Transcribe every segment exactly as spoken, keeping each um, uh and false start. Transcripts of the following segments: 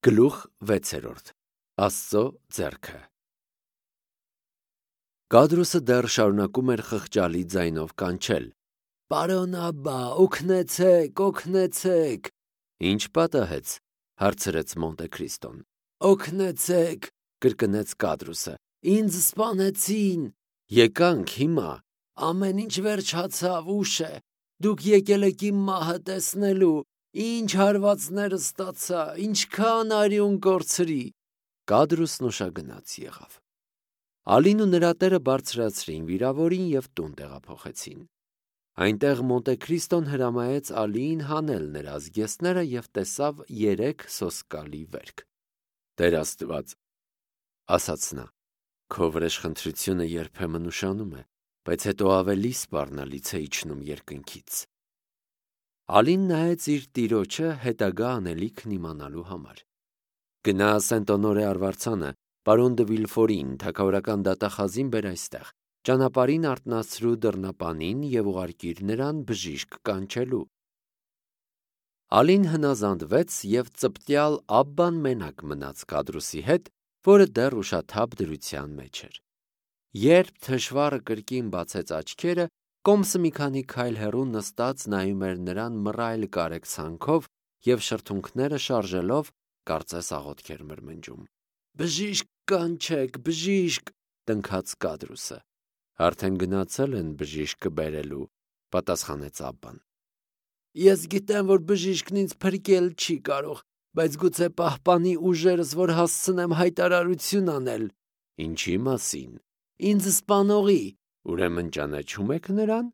Գլուխ վեցերորդ. Աստծո ձեռքը Կադրուսը դեռ շարունակում էր խղճալի ձայնով կանչել. «Պարոն Աբբա, օգնեցեք, օգնեցեք»։ Ինչ պատահեց, հարցրեց Մոնտե Քրիստոն։ «Օգնեցեք», կրկնեց Կադրուսը, «ինձ սպանեցին»։ Եկանք հիմա, ամեն ինչ վերջացավ, ուշ է, դուք եկել եք իմ մահը տեսնելու, ինչ հարվածներ ստացա, ինչքան արյուն կորցրի։ Կադրուսն ուշագնաց եղավ։ Ալին ու նրա տերը բարձրացրին վիրավորին և տուն տեղափոխեցին։ Այնտեղ Մոնտե Քրիստոն հրամայեց Ալիին հանել նրա զգեստները և տեսավ երեք սոսկալի վերք։ «Տեր Աստված», ասաց նա, «քո վրեժխնդրությունը երբեմն ուշանում է, բայց հետո ավելի սպառնալից է իջնում երկնքից»։ Ալին նայեց իր տիրոջը հետագա անելիքն իմանալու համար։ «Գնա Սենտ-Օնորե արվարձանը, պարոն դը Վիլֆորին, թագավորական դատախազին բեր այստեղ, ճանապարհին արթնացրու դռնապանին և ուղարկիր նրան բժիշկ կանչելու»։ Ալին հնազանդվեց և ծպտյալ Աբբան մենակ մնաց Կադրուսի հետ, որը դեռ ուշաթափ դրության մեջ էր։ Երբ թշվառը կրկին բացեց աչքերը, կոմսը մի քանի քայլ հեռու նստած նայում էր նրան մռայլ կարեկցանքով և շրթունքները շարժելով, կարծես աղոթք էր մրմնջում։ «Բժիշկ կանչեք, բժիշկ», տնքաց Կադրուսը։ «Արդեն գնացել են բժիշկը բերելու», պատասխանեց Աբբան։ «Ես գիտեմ, որ բժիշկն ինձ փրկել չի կարող, բայց գուցե պահպանի ուժերս, որ հասցնեմ հայտարարություն անել»։ «Ինչի մասին»։ «Ինձ սպանողի»։ «Ուրեմն ճանաչում եք նրան»։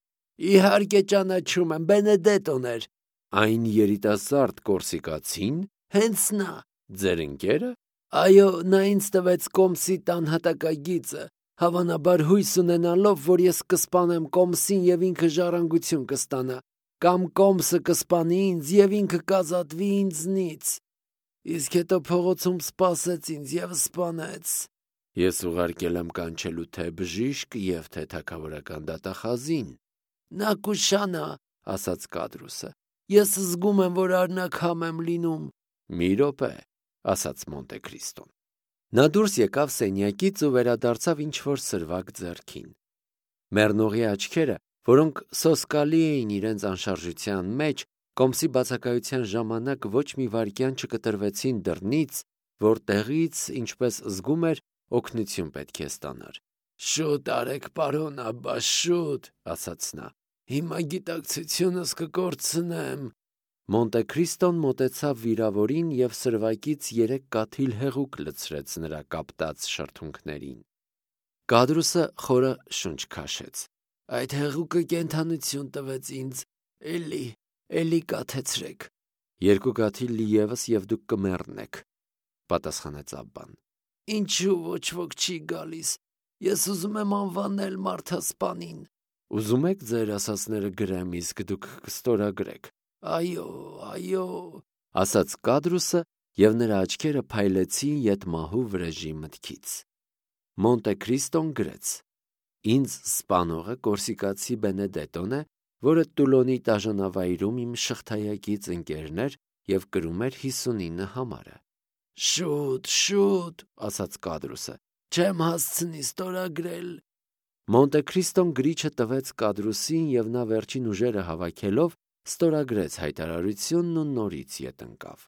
«Իհարկե ճանաչում եմ, Բենեդետոն էր»։ «Այն երիտասարդ կորսիկացի՞ն»։ «Հենց նա»։ «Ձեր ընկե՞րը»։ «Այո, նա ինձ տվեց կոմսի տան հատակագիծը, հավանաբար հույս ունենալով, որ ես կսպանեմ կոմսին և ինքը ժառանգություն կստանա, կամ կոմսը կսպանի ինձ և ինքը կազատվի ինձնից։ Իսկ հետո փողոցում սպասեց ինձ և սպանեց»։ «Ես ուղարկել եմ կանչելու թե բժիշկ և թե թագավորական դատախազին»։ «Նա կուշանա», ասաց Կադրուսը։ «Ես զգում եմ, որ արնաքամ եմ լինում»։ «Մի րոպե», ասաց Մոնտե Քրիստոն։ Նա դուրս եկավ սենյակից ու վերադարձավ ինչ-որ սրվակ ձեռքին։ Մեռնողի աչքերը, որոնք սոսկալի էին իրենց անշարժության մեջ, կոմսի բացակայության ժամանակ ոչ մի վայրկյան չկտրվեցին դռնից, որտեղից, ինչպես զգում էր, օգնություն պետք է ստանար։ «Շուտ արեք, պարոն Աբբա, շուտ», ասաց նա։ «Հիմա գիտակցությունս կկորցնեմ»։ Մոնտե Քրիստոն մոտեցավ վիրավորին և սրվակից երեք կաթիլ հեղուկ լցրեց նրա կապտած շրթունքներին։ Կադրուսը խորը շունչ քաշեց։ «Այդ հեղուկը կենդանություն տվեց ինձ, էլի, էլի կաթեցրեք»։ «Երկու կաթիլ ևս և դուք կմեռնեք», պատասխանեց Աբբան։ «Ինչու ոչ ոք չի գալիս, ես ուզում եմ անվանել մարդասպանին»։ «Ուզում եք ձեր ասածները գրեմ, իսկ դուք կստորագրեք»։ «Այո, այո», ասաց Կադրուսը, և նրա աչքերը փայլեցին ետմահու վրեժի մտքից։ Մոնտե Քրիստոն գրեց. «Ինձ սպանողը կորսիկացի Բենեդետոն է, որը Տուլոնի տաժանավայրում իմ շղթայակից ընկերն էր և կրում էր հիսունինը համարը»։ «Շուտ, շուտ», ասաց Կադրուսը, «չեմ հասցնի ստորագրել»։ Մոնտե Քրիստոն գրիչը տվեց Կադրուսին, և նա վերջին ուժերը հավաքելով ստորագրեց հայտարարությունն ու նորից ետ ընկավ։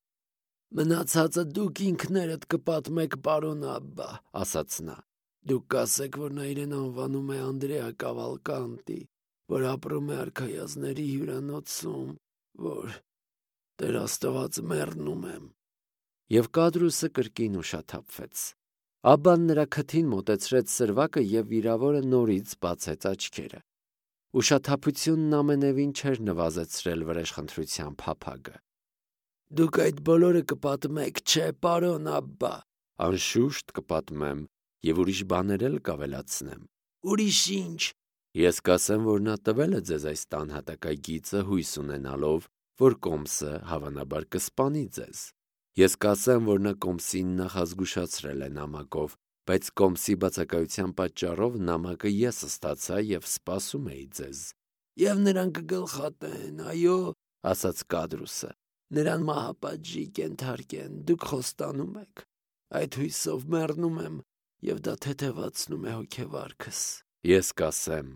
«Մնացածը դուք ինքներդ կպատմեք, պարոն Աբբա», ասաց նա։ «Դուք կասեք, որ նա իրեն անվանում է Անդրեա Կավալկանտի, որ ապրում է արքայազնների հյուրանոցում, որ... Տեր Աստված, մեռնում եմ»։ Եվ Կադրուսը կրկին ուշաթափվեց։ Աբբան նրա քթին մոտեցրեց սրվակը, և վիրավորը նորից բացեց աչքերը։ Ուշաթափությունն ամենևին չէր նվազեցրել վրեժխնդրության փափագը։ «Դուք այդ բոլորը կպատմեք, չէ՞, պարոն Աբբա»։ «Անշուշտ կպատմեմ, և ուրիշ բաներ էլ կավելացնեմ»։ «Ուրիշ ի՞նչ»։ «Ես կասեմ, որ նա տվել է ձեզ այս տան հատակագիծը հույս ունենալով, որ կոմսը հավանաբար կսպանի ձեզ։ Ես կասեմ, որ նա կոմսին նախազգուշացրել է նամակով, բայց կոմսի բացակայության պատճառով նամակը ես ստացա և սպասում էի ձեզ»։ «Եվ նրան կգլխատեն, այո՞», ասաց Կադրուսը։ Նրան մահապատժի կենթարկեն, դուք խոստանում եք։ Այդ հույսով մեռնում եմ, և դա թեթևացնում է հոգեվարքս։ Ես կասեմ,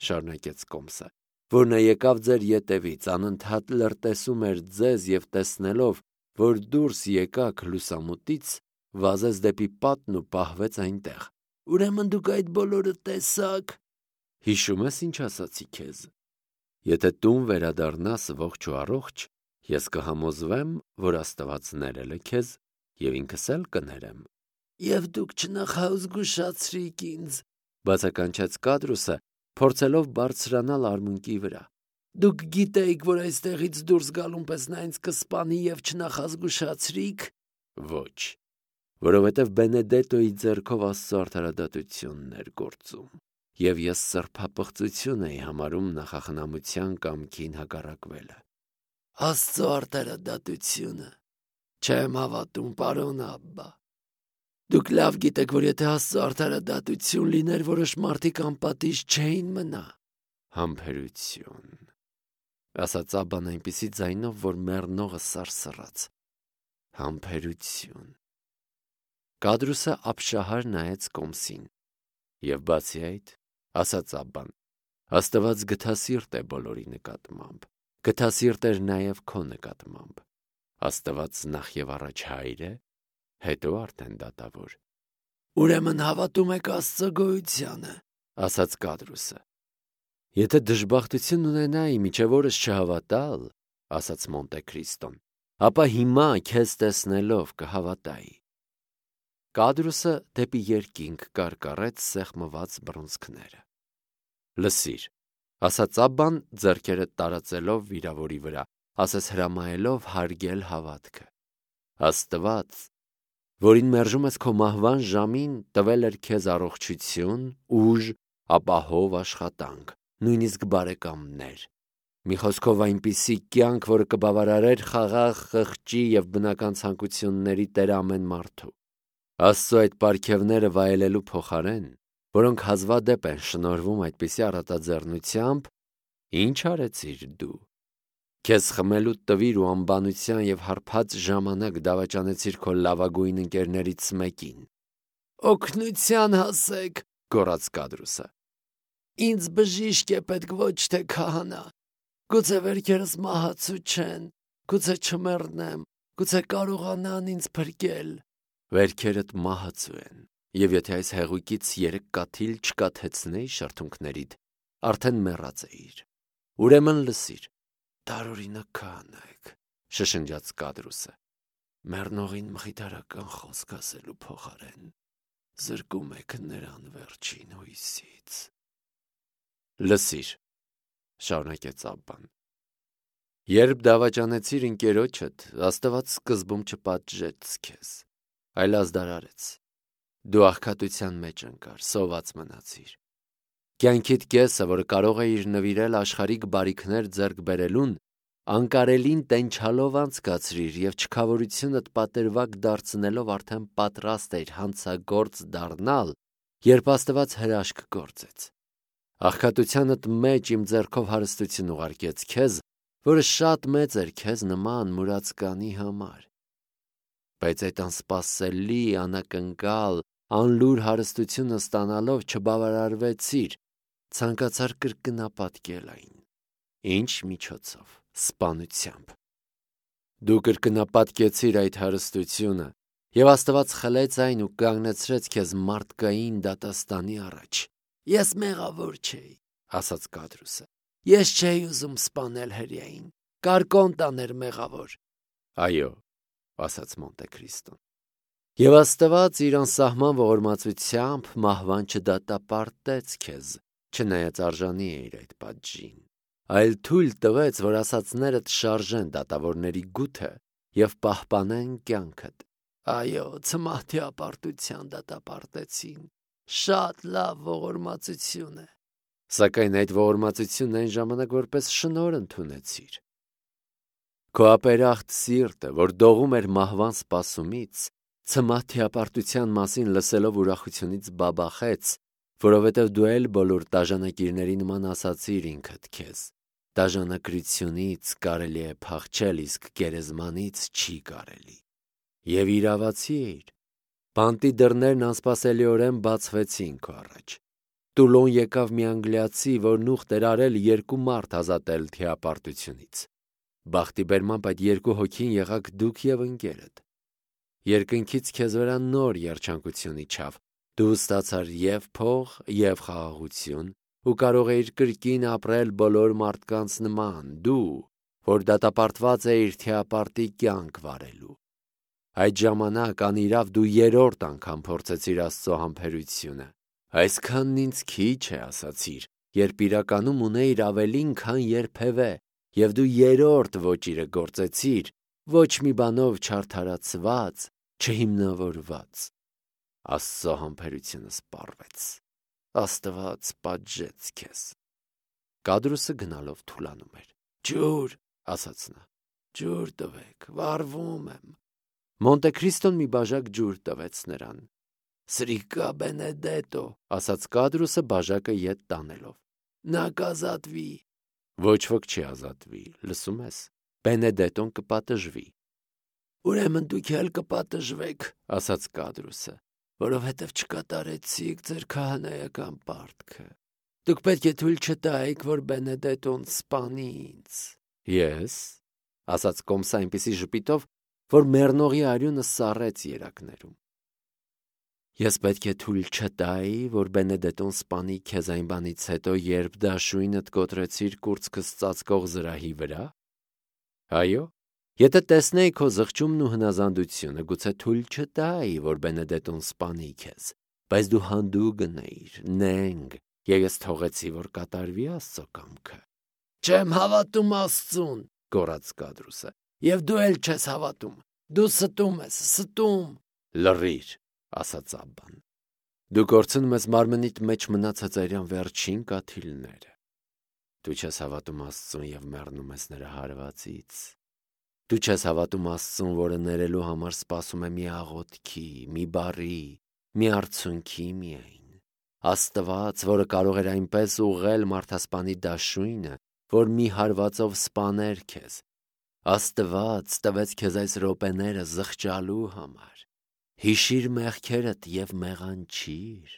շարունակեց Կոմսը, որ նա եկավ ձեր ետևից, անընդհատ լրտեսում էր ձեզ և տեսնելով, որ դուրս եկաք լուսամուտից, վազեց դեպի պատն ու պահվեց այնտեղ։ Ուրեմն դուք այդ բոլորը տեսաք։ Հիշում ես ինչ ասացի քեզ։ Եթե տուն վերադառնաս ողջ ու առողջ, ես կհամոզվեմ, որ Աստված ներել է քեզ և ինքս էլ կներեմ։ Եվ դուք չնախազգուշացրիք ինձ, բացականչեց Կադրուսը, փորձելով բարձրանալ արմունկի վրա։ Դուք գիտեիք, որ այստեղից դուրս գալուն պես նա ինձ կսպանի և չնախազգուշացրիք։ Ոչ, որովհետև Բենեդետոյի ձեռքով Աստծո արդարադատությունն էր գործում, և ես սրբապղծություն էի համարում նախախնամության կամքին հակառակվելը։ Աստծո արդարադատությունը։ Չեմ հավատում, պարոն Աբբա։ Դուք լավ գիտեք, որ եթե Աստծո արդարադատություն լիներ, որոշ մարդիկ անպատիժ չէին մնա։ Համբերություն, ասաց Աբբան այնպիսի ձայնով, որ մեռնողը սարսռաց։ Համբերություն։ Կադրուսը ապշահար նայեց Կոմսին։ Եվ բացի այդ, ասաց Աբբան, Աստված գթասիրտ է բոլորի նկատմամբ, գթասիրտ էր նաև քո նկատմամբ։ Աստված նախ և առաջ հայր է, հետո արդեն դատավոր։ Ուրեմն հավատում եք Աստծո գոյությանը, ասաց Կադրուսը։ Եթե դժբախտություն ունենայի մինչև օրս չհավատալ, ասաց Մոնտե Քրիստոն, ապա հիմա քեզ տեսնելով կհավատայի։ Կադրուսը դեպի երկինք կարկառեց սեղմված բռունցքները։ Լսիր, ասաց Աբբան ձեռքերը տարածելով վիրավորի վրա, ասես հրամայելով հարգել հավատքը։ Աստված, որին մերժում ես քո մահվան ժամին, տվել էր քեզ առողջություն, ուժ, ապահով աշխատանք, նույնիսկ բարեկամներ։ Մի խոսքով այնպիսի կյանք, որը կբավարարեր խաղաղ, խղճի և բնական ցանկությունների տեր ամեն մարդու։ Աստծո այդ պարգևները վայելելու փոխարեն, որոնք հազվադեպ են շնորհվում այդպիսի առատաձեռնությամբ, ի՞նչ արեցիր դու։ Քեզ խմելու տվիր ու անբանության և հարբած ժամանակ դավաճանեցիր քո լավագույն ընկերներից մեկին։ Օգնության հասեք, գոռաց Կադրուսը։ Ինձ բժիշկ է պետք, ոչ թե քահանա։ Գուցե վերքերս մահացու չեն, գուցե չմեռնեմ, գուցե կարողանան ինձ փրկել։ Վերքերդ մահացու են, և եթե այս հեղուկից երեք կաթիլ չկաթեցնեի շրթունքներիդ, արդեն մեռած էիր։ Ուրեմն լսիր, տարօրինակ քահանա եք, շշնջաց Կադրուսը։ Մեռնողին մխիթարական խոսք ասելու փոխարեն զրկում եք նրան վերջին հույսից։ Լսիր, շարունակեց Աբբան, երբ դավաճանեցիր ընկերոջդ, Աստված սկզբում չպատժեց քեզ, այլ ազդարարեց։ Դու աղքատության մեջ ընկար, սոված մնացիր։ Կյանքիդ կեսը, որը կարող էիր նվիրել աշխարհիկ բարիքներ ձեռք բերելուն, անկարելին տենչալով անցկացրիր և չքավորությունդ պատրվակ դարձնելով արդեն պատրաստ էիր հանցագործ դառնալ, երբ Աստված հրաշք գործեց։ Աղքատությանդ մեջ իմ ձեռքով հարստություն ուղարկեց քեզ, որը շատ մեծ էր քեզ նման մուրացկանի համար։ Բայց այդ անսպասելի, անակնկալ, անլուր հարստությունը ստանալով չբավարարվեցիր, ցանկացար կրկնապատկել այն։ Ինչ միջոցով։ Սպանությամբ։ Դու կրկնապատկեցիր այդ հարստությունը, և Աստված խլեց այն ու կանգնեցրեց քեզ մարդկային դատաստանի առաջ։ Ես մեղավոր չէի, ասաց Կադրուսը։ Ես չէի ուզում սպանել հրեային, կարկոն տաներ մեղավոր։ Այո, ասաց Մոնտե Քրիստոն։ Եվ Աստված իր անսահման ողորմածությամբ մահվան չդատապարտեց քեզ, չնայած արժանի էիր այդ պատժին, այլ թույլ տվեց, որ ասածներդ շարժեն դատավորների գութը և պահպանեն կյանքդ։ Այո, ցմահ թիապարտության դատապարտեցին, շատ լավ ողորմածություն է։ Սակայն այդ ողորմածությունն այն ժամանակ որպես շնորհ ընդունեցիր։ Քո ապերախտ սիրտը, որ դողում էր մահվան սպասումից, ցմահ թիապարտության մասին լսելով ուրախությունից բաբախեց, որովհետև դու էլ բոլոր տաժանակիրների նման ասացիր ինքդ քեզ. Դաժանակրությունից կարելի է փախչել, իսկ գերեզմանից չի կարելի։ Եվ իրավացի էիր։ Բանտի դռներն անսպասելիորեն բացվեցին քո առաջ։ Տուլոն եկավ մի անգլիացի, որն ուխտ էր արել երկու մարդ ազատել թիապարտությունից։ Բախտի բերմամբ այդ երկու հոգին եղաք դուք և ընկերդ։ Երկնքից քեզ վրա նոր երջանկություն իջավ։ Դու ստացար և փող, և խաղաղություն, ու կարող էիր կրկին ապրել բոլոր մարդկանց նման, դու, որ դատապարտված էիր թիապարտի կյանք վարելու։ Այդ ժամանակ անիրավ դու երրորդ անգամ փորձեցիր Աստծո համբերությունը։ Այսքանն ինձ քիչ է, ասացիր, երբ իրականում ունեիր ավելին, քան երբևէ, և դու երրորդ ոճիրը գործեցիր, ոչ մի բանով չարդարացված, չհիմնավորված։ Աստծո համբերությունը սպառվեց։ Աստված պատժեց քեզ։ Կադրուսը գնալով թուլանում էր։ Ջուր, ասաց նա, ջուր տվեք, վառվում եմ։ Մոնտե Քրիստոն մի բաժակ ջուր տվեց նրան։ Սրիկա Բենեդետո, ասաց Կադրուսը բաժակը ետ տանելով։ Նա կազատվի։ Ոչ ոք չի ազատվի, լսում ես։ Բենեդետոն կպատժվի։ Ուրեմն դուք էլ կպատժվեք, ասաց Կադրուսը, որովհետև չկատարեցիք ձեր քահանայական պարտքը։ Դուք պետք է թույլ չտայիք, որ Բենեդետոն սպանի ինձ։ Ես, ասաց Կոմսը այնպիսի ժպիտով, որ մեռնողի արյունը սառեց երակներում։ Ես պետք է թույլ չտայի, որ Բենեդետոն սպանի քեզ այն բանից հետո, երբ դաշույնդ կոտրեցիր կուրծքս ծածկող զրահի վրա։ Այո, եթե տեսնեի քո զղջումն ու հնազանդությունը, գուցե թույլ չտայի, որ Բենեդետոն սպանի քեզ, բայց դու հանդուգն էիր, նենգ, և ես թողեցի, որ կատարվի Աստծո կամքը։ Չեմ հավատում Աստծուն, գոռաց Կադրուսը, և դու էլ չես հավատում։ Դու ստում ես, ստում։ Լռիր, ասաց Աբբան։ Դու կորցնում ես մարմնիդ մեջ մնացած այրան վերջին կաթիլները։ Դու չես հավատում Աստծուն և մեռնում ես նրա հարվածից։ Դու չես հավատում Աստծուն, որը ներելու համար սպասում է մի աղոթքի, մի բառի, մի արցունքի միայն։ Աստված, որը կարող էր այնպես ուղղել մարդասպանի դաշույնը, որ մի հարվածով սպաներ քեզ։ Աստված տվեց քեզ այս րոպեները զղջալու համար։ Հիշիր մեղքերդ և մեղանչիր։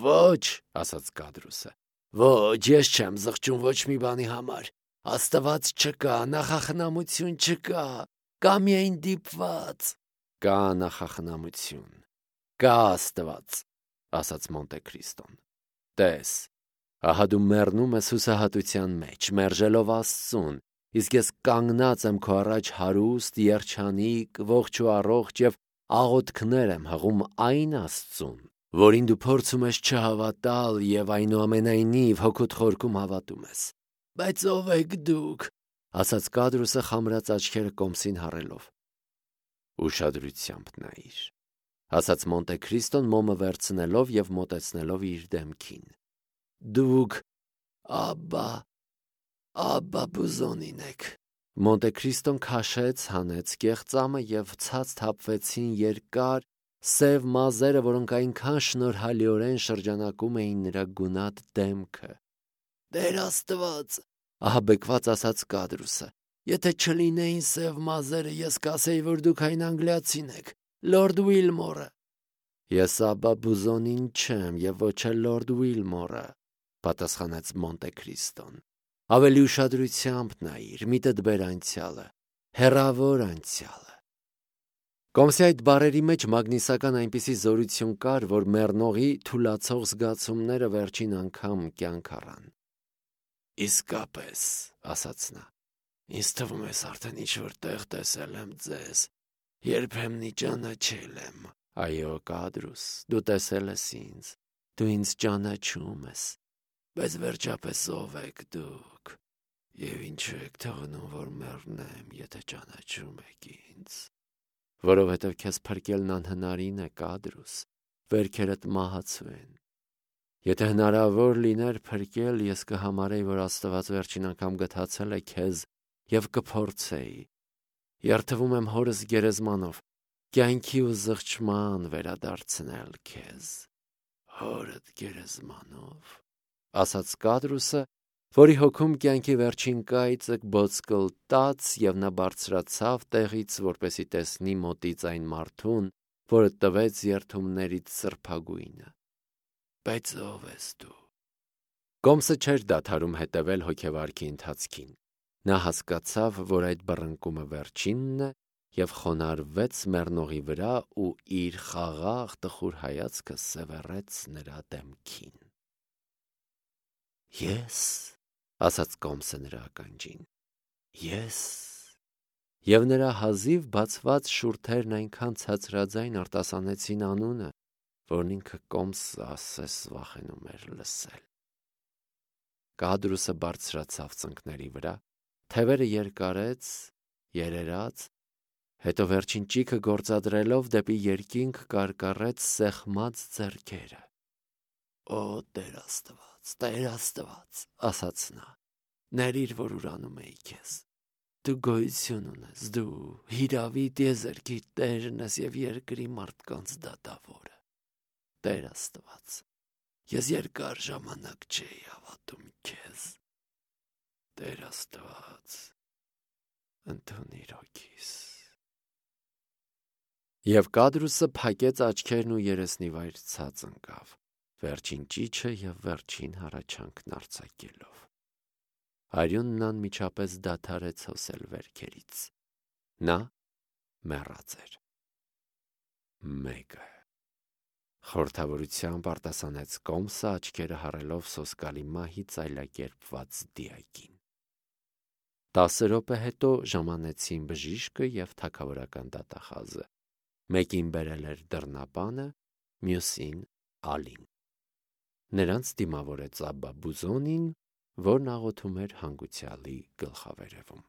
Ոչ, ասաց Կադրուսը, ոչ, ես չեմ զղջում ոչ մի բանի համար։ Աստված չկա, նախախնամություն չկա, կա միայն դիպված։ Կա նախախնամություն, կա Աստված, ասաց Մոնտե Քրիստոն։ Տես, ահա դու մեռնում ես հուսահատության մեջ, մերժելով Աստծուն, իսկ ես կանգնած եմ քո առաջ հարուստ, երջանիկ, ողջ ու առողջ և աղոթքներ եմ հղում այն Աստծուն, որին դու փորձում ես չհավատալ և այնուամենայնիվ հոգուդ խորքում հավատում ես։ Բայց ով եք դուք, ասաց Կադրուսը խամրած աչքերը Կոմսին հառելով։ Ուշադրությամբ նայիր, ասաց Մոնտե Քրիստոն մոմը վերցնելով և մոտեցնելով իր դեմքին։ Դուք Աբբա, Աբբա Բուզոնին եք։ Մոնտե Քրիստոն քաշեց, հանեց կեղծամը և ցած թափվեցին երկար, սև մազերը, որոնք այնքան շնորհալիորեն շրջանակում էին նրա գունատ դեմքը։ Տեր Աստված, ահաբեկված ասաց Կադրուսը, եթե չլինեին սև մազերը, ես կասեի, որ դուք այն անգլիացին եք, Լորդ Ուիլմորը։ Ես Աբբա Բուզոնին չեմ և ոչ էլ Լորդ Ուիլմորը, պատասխանեց Մոնտե Քրիստոն։ Ավելի ուշադրությամբ նայիր, միտդ բեր անցյալը, հեռավոր անցյալը։ Կոմսի այդ բառերի մեջ մագնիսական այնպիսի զորություն կար, որ մեռնողի թուլացող զգացումները վերջին անգամ կյանք առան։ Իսկապես, ասաց նա, ինձ թվում է արդեն ինչ-որ տեղ տեսել եմ ձեզ, երբեմնի ճանաչել եմ։ Այո, Կադրուս, դու տեսել ես ինձ, դու ինձ ճանաչում ես, բայց վերջապես ով եք դուք, և ինչու եք թողնում, որ մեռնեմ, եթե ճանաչում եք ինձ։ Որովհետև քեզ փրկելն անհնարին է, Կադրուս, վերքերդ մահացու են։ Եթե հնարավոր լիներ փրկել, ես կհամարեի, որ Աստված վերջին անգամ գթացել է քեզ և կփորձեի։ Երդվում եմ հորս գերեզմանով, կյանքի ու զղջման վերադարձնել քեզ։ Հորդ գերեզմանով, ասաց Կադրուսը որի հոգում կյանքի վերջին կայծը բոցկլտաց, և նա բարձրացավ տեղից, որպեսզի տեսնի մոտից այն մարդուն, որը տվեց երդումներից սրբագույնը։ Բայց ո՞վ ես դու։ Կոմսը չէր դադարում հետևել հոգևարքի ընթացքին։ Նա հասկացավ, որ այդ բռնկումը վերջինն է, և խոնարհվեց մեռնողի վրա ու իր խաղաղ տխուր հայացքը սևեռեց նրա դեմքին։ Ես, ասաց Կոմսը նրա ականջին, ես։ Եվ նրա հազիվ բացված շուրթերն այնքան ցածրաձայն արտասանեցին անունը, որն ինքը Կոմսը ասես վախենում էր լսել։ Կադրուսը բարձրացավ ծնկների վրա, թևերը երկարեց, երերաց, հետո վերջին ճիգը գործադրելով դեպի երկինք կարկառեց սեղմած ձեռքերը։ Օ Տեր Աստված, Տեր Աստված, ասաց նա, ների՛ր, որ ուրանում էի քեզ։ Դու գոյություն ունես, դու հիրավի տիեզերքի Տերն ես և երկրի մարդկանց դատավորը։ Տեր Աստված, ես երկար ժամանակ չէի հավատում քեզ։ Տեր Աստված, ընդունիր հոգիս։ Եվ Կադրուսը փակեց աչքերն ու երեսնիվայր ցած ընկավ, վերջին ճիչը և վերջին հառաչանքն արձակելով։ Արյունն անմիջապես դադարեց հոսել վերքերից։ Նա մեռած էր։ Մեկը խորհրդավորությամբ արտասանեց Կոմսը, աչքերը հառելով սոսկալի մահի ծայլակերպված դիակին։ Տասը րոպե հետո ժամանեցին բժիշկը և թագավորական դատախազը։ Մեկին բերել էր դռնապանը, մյուսին Ալին։ Նրանց դիմավորեց Աբբա Բուզոնին, որն աղոթում էր հանգուցյալի գլխավերևում։